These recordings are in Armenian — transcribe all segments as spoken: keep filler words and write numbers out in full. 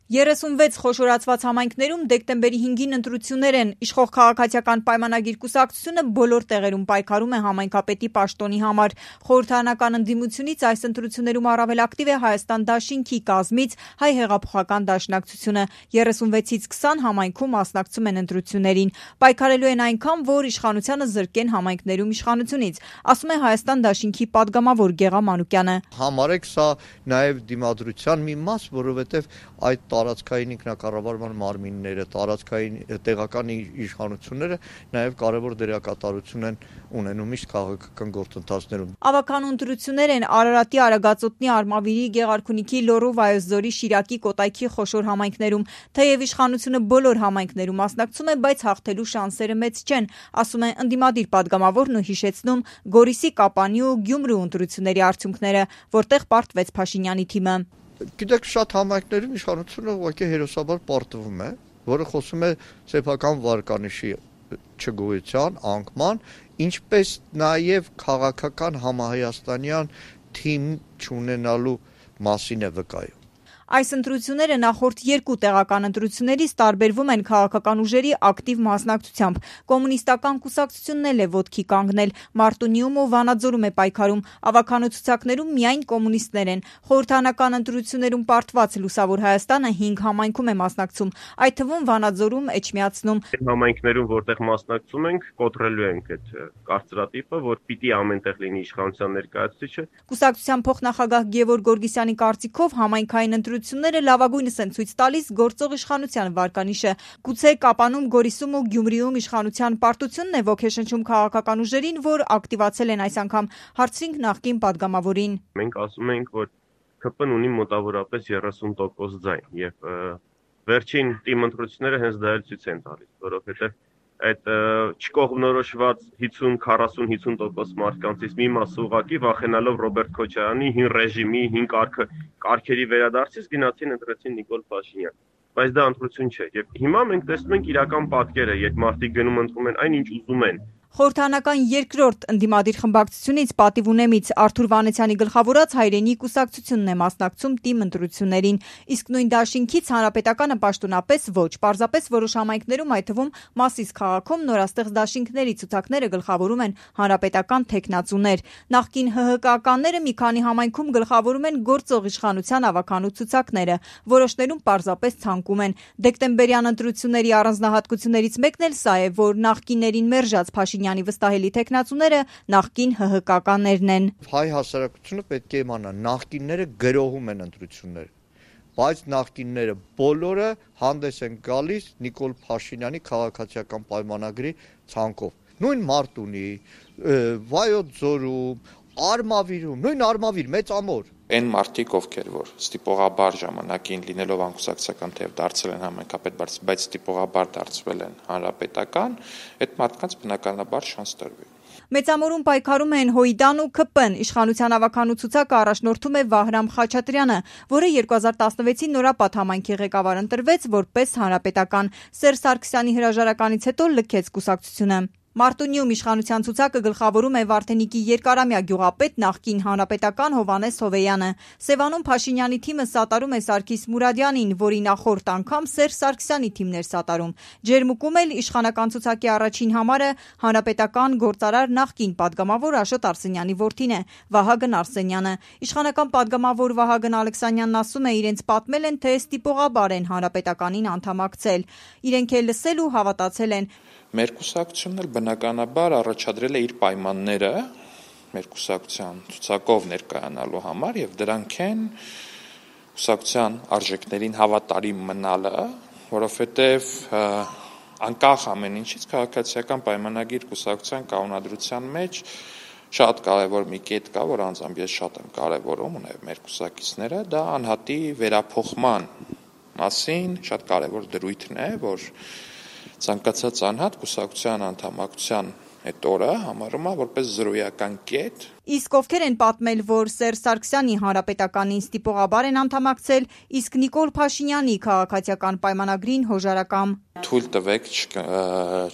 երեսունվեց խոշորացված համայնքներում դեկտեմբերի հինգին ընտրություններ են։ Իշխող քաղաքացիական պայմանագիր կուսակցությունը բոլոր տեղերում պայքարում է համայնքապետի պաշտոնի համար։ Խորհրդարանական ընդդիմությունից այս ընտրություններում առավել ակտիվ է Հայաստան դաշինքի կազմից Հայ հեղափոխական դաշնակցությունը։ երեսունվեցից քսան համայնքում մասնակցում են ընտրություններին։ Պայքարելու են այնքան, որ իշխանությանը զրկեն համայնքներում իշխանությունից, ասում է Հայաստան դաշինքի падգամավոր Գեղամ Մանուկյանը։ Համարեք սա նաև դիմադրության մի մաս, որովհետև այդ տարածքային ինքնակառավարման մարմինները, տարածքային տեղական իշխանությունները նաև կարևոր դերակատարություն են ունենում միշտ քաղաքական գործընթացներում։ Ավագանու ընտրություններ են Արարատի, Արագածոտնի, Արմավիրի, Գեղարքունիքի, Լոռու, Վայոց ձորի, Շիրակի, Կոտայքի խոշոր համայնքներում։ Թեև իշխանությունը բոլոր համայնքներում մասնակցում է, բայց հաղթելու շանսերը մեծ չեն, ասում է ընդդիմադիր падգամավորն ու հիշեցնում Գորիսի, Կապանի ու Գյումրու ընտրությունների արդյունքները, որտեղ պարտվեց Փաշինյանի թիմը։ Գիտեք, շատ համայնքներում իշխանությունը ուղղակի հերոսաբար պարտվում է, որը խոսում է սեփական վարկանիշի չգոյության, անկման, ինչպես նաև քաղաքական համահայաստանյան թիմ չունենալու մասին է վկայում։ Այս ընտրությունները նախորդ երկու տեղական ընտրություններից տարբերվում են քաղաքական ուժերի ակտիվ մասնակցությամբ։ Կոմունիստական կուսակցությունն էլ է ոտքի կանգնել, Մարտունիում ու Վանաձորում է պայքարում, ավագանու ցուցակներում միայն կոմունիստներ են։ Խորհրդարանական ընտրություններում պարտված Լուսավոր Հայաստանը հինգ համայնքում է մասնակցում, այդ թվում Վանաձորում, Էջմիածնում։ Համայնքներում, որտեղ մասնակցում ենք, կոտրելու ենք այդ կարծրատիպը, որ պիտի ամենտեղ լինի իշխանության ներկայացուցիչը։ Կուսակցության փոխնախագահ Գևորգ Գորգիսյանի կարծիքով համայնքային ընտրությունները լավագույնս են ցույց տալիս գործող իշխանության վարկանիշը։ Գուցե Կապանում, Գորիսում ու Գյումրիում իշխանության պարտությունն է ոգեշնչում քաղաքական ուժերին, որ ակտիվացել են այս անգամ, հարցրինք նախկին падգամավորին։ Մենք ասում ենք, որ K P-ն ունի մոտավորապես երեսուն տոկոս ձայն եւ վերջին թիմ ընտրությունները հենց դա էլ ցույց են տալիս, որովհետեւ այդ չկողմնորոշված հիսուն, քառասուն, հիսուն տոկոս մարդկանցից մի մասը ուղղակի վախենալով Ռոբերտ Քոչարյանի հին ռեժիմի, հին կարգը, կարգերի վերադարձից գնացին ընտրեցին Նիկոլ Փաշինյան։ Բայց դա ընտրություն չէ։ Եվ հիմա մենք տեսնում ենք իրական պատկերը, երբ մարդիկ գնում ընտրում են այն, ինչ ուզում են։ Խորհրդարանական երկրորդ ընդդիմադիր խմբակցությունից Պատիվ Ունեմից Արթուր Վանեցյանի գլխավորած Հայրենի կուսակցությունն է մասնակցում թիմ ընտրություններին, իսկ նույն դաշինքից Հանրապետականը պաշտոնապես ոչ, պարզապես որոշ համայնքներում, այդ թվում Մասիս քաղաքում նորաստեղծ դաշինքների ցուցակները գլխավորում են հանրապետական թեկնածուներ։ Նախկին H H K-ականները մի քանի համայնքում գլխավորում են գործող իշխանության ավագանու ցուցակները, որոշներում պարզապես ցանկում են։ Դեկտեմբերյան ընտրությունների առանձնահատկություններից մեկն էլ սա է, որ նախկիններին մերժած Փաշինյանի վստահելի թեկնածուները նախկին H H K-ականներն են։ Հայ հասարակությունը պետք է իմանա, նախկինները գրոհում են ընտրությունները, բայց նախկինները բոլորը հանդես են գալիս Նիկոլ Փաշինյանի քաղաքացիական պայմանագրի ցանկով։ Նույն Մարտունի, Վայոց ձորում, Արմավիրում, նույն Արմավիր, Մեծամոր։ Այն մարդիկ, ովքեր որ ստիպողաբար ժամանակին լինելով անկուսակցական թեև դարձել են համայնքապետ, բայց ստիպողաբար դարձվել են հանրապետական, այդ մարդկանց բնականաբար շանս տրվի։ Մեծամորում պայքարում են Հոյդան ու K P-ն, իշխանության ավագանու ցուցակը առաջնորդում է Վահրամ Խաչատրյանը, որը երկու հազար տասնվեցի նորապատ համայնքի ղեկավար ընտրվեց որպես հանրապետական։ Սերժ Սարգսյանի հրաժարականից հետո լքեց կուսակցությունը։ Մարտունիում իշխանության ցուցակը գլխավորում է Վարդենիկի երկարամյա գյուղապետ նախկին հանրապետական Հովանես Հովեյանը։ Սևանում Փաշինյանի թիմը սատարում է Սարգիս Մուրադյանին, որի նախորդ անգամ Սերժ Սարգսյանի թիմն էր սատարում։ Ջերմուկում էլ իշխանական ցուցակի առաջին համարը հանրապետական գործարար նախկին падգամավոր Աշոտ Արսենյանի որդին է՝ Վահագն Արսենյանը։ Իշխանական падգամավոր Վահագն Ալեքսանյանն ասում է, իրենց պատմել են, թե ստիպողաբար են հանրապետականին անդամակցել։ Իրենք էլ լսել ու հավատացել են։ Մեր կուսակցությունն էլ բնականաբար առաջադրել է իր պայմանները մեր կուսակցության ցուցակով ներկայանալու համար եւ դրանք են կուսակցության արժեքներին հավատարիմ մնալը, որովհետեւ անկախ ամեն ինչից քաղաքացիական պայմանագիր կուսակցության կանոնադրության մեջ շատ կարևոր մի կետ կա, որ անձամբ ես շատ եմ կարևորում ու նաեւ մեր կուսակիցները, դա անհատի վերափոխման մասին շատ կարևոր դրույթն է, որ ցանկացած անհատ կուսակցության անդամակցության այդ օրը համարում է որպես զրոյական կետ։ Իսկ ովքեր են պատմել, որ Սերժ Սարգսյանի հանրապետականին ստիպողաբար են անդամակցել, իսկ Նիկոլ Փաշինյանի քաղաքացիական պայմանագրին հոժարակամ։ Թույլ տվեք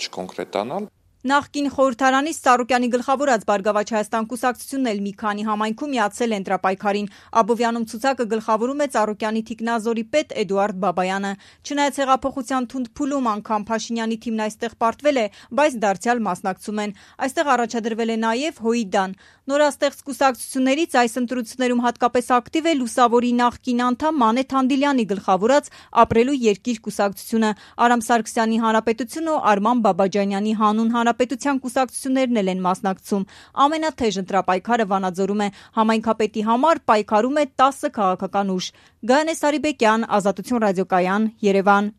չկոնկրետանալ։ Նախկին խորհրդարանից Սարոկյանի գլխավորած Բարգավաճ Հայաստան կուսակցությունն էլ մի քանի համայնքում միացել է ընտրապայքարին։ Աբովյանում ցուցակը գլխավորում է Ծառուկյանի թիկնազորի պետ Էդուարդ Բաբայանը։ Չնայած հեղափոխության թունդ փուլում անգամ Փաշինյանի թիմն այստեղ պարտվել է, բայց դարձյալ մասնակցում են։ Այստեղ առաջադրվել է նաև Հոիդան։ Նորաստեղծ կուսակցություններից այս ընտրություններում հատկապես ակտիվ է Լուսավորի նախկին անդամ Մանե Թանդիլյանի գլխավորած Ապրելու երկիր կուսակցությունը, Արամ Սարգսյանի Հանրապետությունը ու Արման Բաբաջանյանի Հանուն Հանրապետության կուսակցություններն էլ են մասնակցում։ Ամենաթեժ ընտրապայքարը Վանաձորում է։ Համայնքապետի համար պայքարում է տասը քաղաքական ուժ։ Գայանե Սարիբեկյան, Ազատություն ռադիոկայան, Երևան։